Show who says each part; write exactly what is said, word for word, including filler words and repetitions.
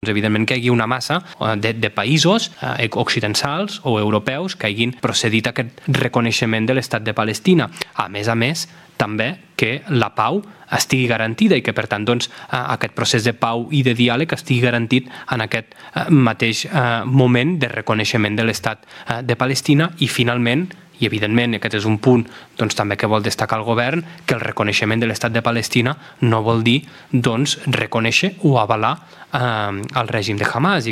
Speaker 1: evidentment que hi hagi una massa de, de països eh, occidentals o europeus que hagin procedit a aquest reconeixement de l'Estat de Palestina. A més a més, també que la pau estigui garantida i que, per tant, doncs, aquest procés de pau i de diàleg estigui garantit en aquest mateix moment de reconeixement de l'Estat de Palestina i, finalment, i evidentment aquest és un punt doncs, també que vol destacar el govern, que el reconeixement de l'Estat de Palestina no vol dir doncs, reconèixer o avalar eh, el règim de Hamas.